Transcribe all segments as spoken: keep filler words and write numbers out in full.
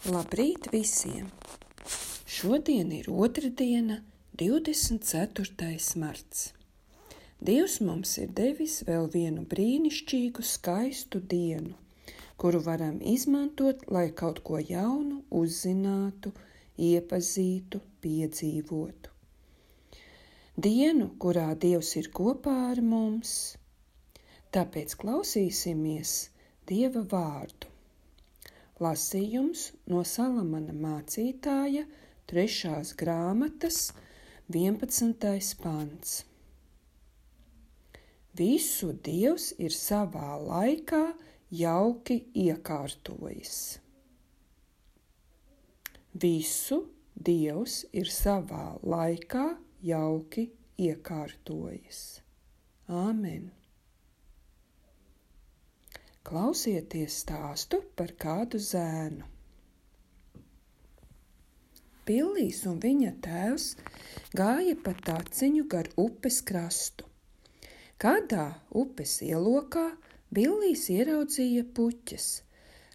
Labrīt visiem! Šodien ir otrdiena, divdesmit ceturtais marts. Dievs mums ir devis vēl vienu brīnišķīgu, skaistu dienu, kuru varam izmantot, lai kaut ko jaunu uzzinātu, iepazītu, piedzīvotu. Dienu, kurā Dievs ir kopā ar mums, tāpēc klausīsimies Dieva vārdu. Lasījums no Salamana mācītāja trešās grāmatas vienpadsmitais pants. Visu Dievs ir savā laikā jauki iekārtojis. Visu Dievs ir savā laikā jauki iekārtojis. Āmen! Klausieties stāstu par kādu zēnu. Billijs un viņa tēvs gāja pa taciņu gar upes krastu. Kādā upes ielokā Billijs ieraudzīja puķes,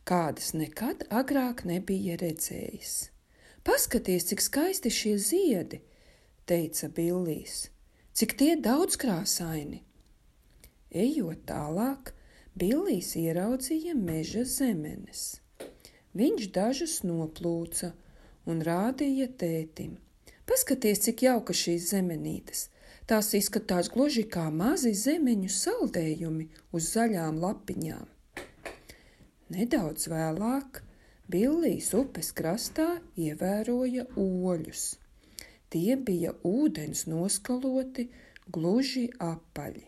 kādas nekad agrāk nebija redzējis. Paskaties, cik skaisti šie ziedi, teica Billijs, cik tie daudzkrāsaini. Ejot tālāk, Billijs ieraudzīja meža zemenes. Viņš dažus noplūca un rādīja tētim. Paskaties, cik jauka šīs zemenītes. Tās izskatās gluži kā mazi zemeņu saldējumi uz zaļām lapiņām. Nedaudz vēlāk Billijs upes krastā ievēroja oļus. Tie bija ūdens noskaloti, gluži apaļi.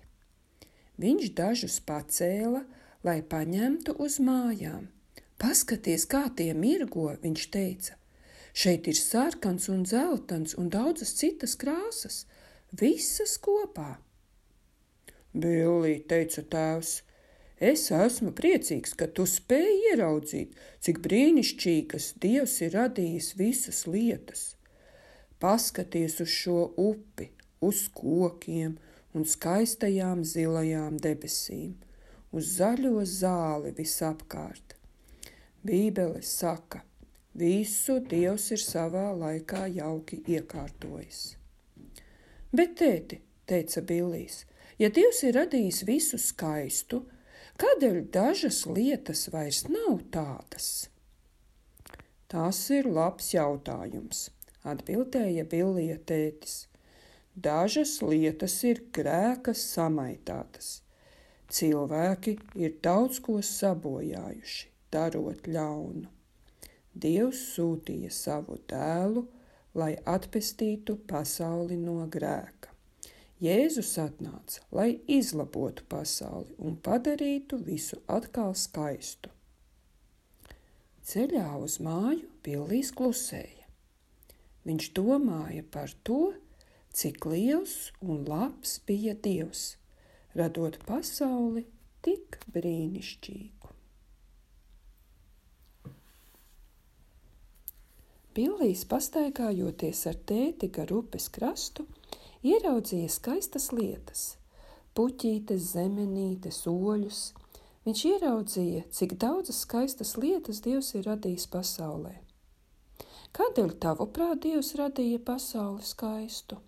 Viņš dažus pacēla, lai paņemtu uz mājām. Paskaties, kā tie mirgo, viņš teica. Šeit ir sarkans un dzeltens un daudzas citas krāsas, visas kopā. Billij, teica tēvs, es esmu priecīgs, ka tu spēji ieraudzīt, cik brīnišķīgas Dievs ir radījis visas lietas. Paskaties uz šo upi, uz kokiem un skaistajām zilajām debesīm, uz zaļo zāli visapkārt. Bībele saka, visu Dievs ir savā laikā jauki iekārtojis. Bet, tēti, teica Billijs, ja Dievs ir radījis visu skaistu, kādēļ dažas lietas vairs nav tādas? Tas ir labs jautājums, atbildēja Billija tētis. Dažas lietas ir grēka samaitātas. Cilvēki ir daudz ko sabojājuši, darot ļaunu. Dievs sūtīja savu dēlu, lai atpestītu pasauli no grēka. Jēzus atnāca, lai izlabotu pasauli un padarītu visu atkal skaistu. Ceļā uz māju Billijs klusēja. Viņš domāja par to, cik liels un labs bija Dievs, radot pasauli tik brīnišķīgu. Billijs, pastaigājoties ar tēti gar upes krastu, ieraudzīja skaistas lietas, puķītes, zemenītes, oļus. Viņš ieraudzīja, cik daudzas skaistas lietas Dievs ir radījis pasaulē. Kādēļ tavuprāt Dievs radīja pasauli skaistu?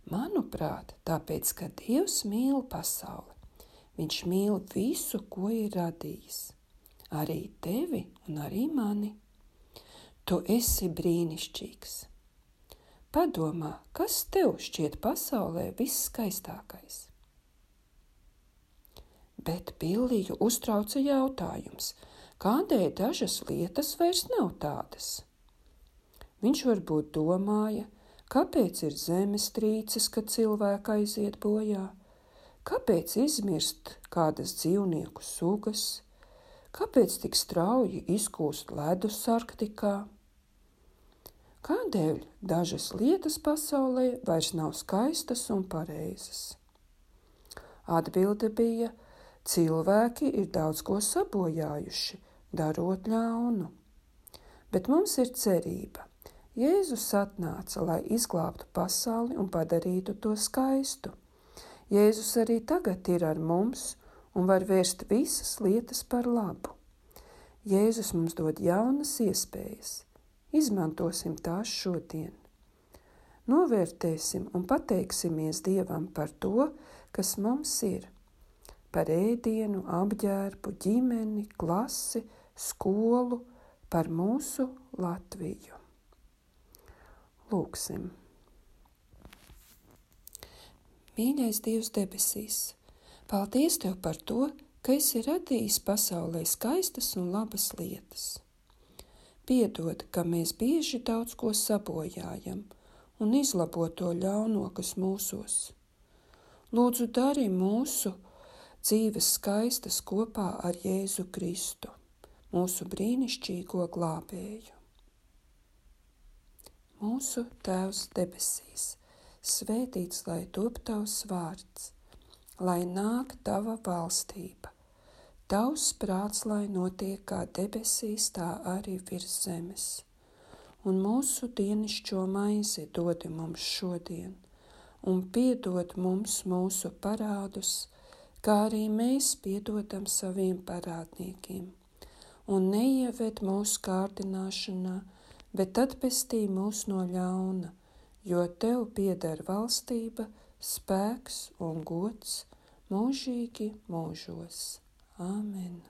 Manuprāt, tāpēc, ka Dievs mīl pasauli. Viņš mīl visu, ko ir radījis. Arī tevi un arī mani. Tu esi brīnišķīgs. Padomā, kas tev šķiet pasaulē visskaistākais? Bet Billiju uztrauca jautājums, kādēļ dažas lietas vairs nav tādas? Viņš varbūt domāja, kāpēc ir zemestrīces, kad cilvēki aiziet bojā? Kāpēc izmirst kādas dzīvnieku sugas? Kāpēc tik strauji izkūst ledus Arktikā? Kādēļ dažas lietas pasaulē vairs nav skaistas un pareizas? Atbilde bija, cilvēki ir daudz ko sabojājuši, darot ļaunu. Bet mums ir cerība. Jēzus atnāca, lai izglābtu pasauli un padarītu to skaistu. Jēzus arī tagad ir ar mums un var vērst visas lietas par labu. Jēzus mums dod jaunas iespējas. Izmantosim tās šodien. Novērtēsim un pateiksimies Dievam par to, kas mums ir. Par ēdienu, apģērbu, ģimeni, klasi, skolu, par mūsu Latviju. Lūksim. Mīļais Dievs debesīs, paldies Tev par to, ka esi radījis pasaulē skaistas un labas lietas. Piedod, ka mēs bieži daudz ko sabojājam un izlabo to ļauno, kas mūsos. Lūdzu, dari mūsu dzīves skaistas kopā ar Jēzu Kristu, mūsu brīnišķīgo glābēju. Mūsu Tēvs debesīs, svētīts lai top Tavs vārds, lai nāk Tava valstība. Tavs prāts, lai notiek kā debesīs, tā arī virs zemes. Un mūsu dienišķo maizi dodi mums šodien, un piedod mums mūsu parādus, kā arī mēs piedodam saviem parādniekiem. Un neieved mūsu kārdināšanā, bet atpestī mūs no ļauna, jo Tev pieder valstība, spēks un gods mūžīgi mūžos. Āmen.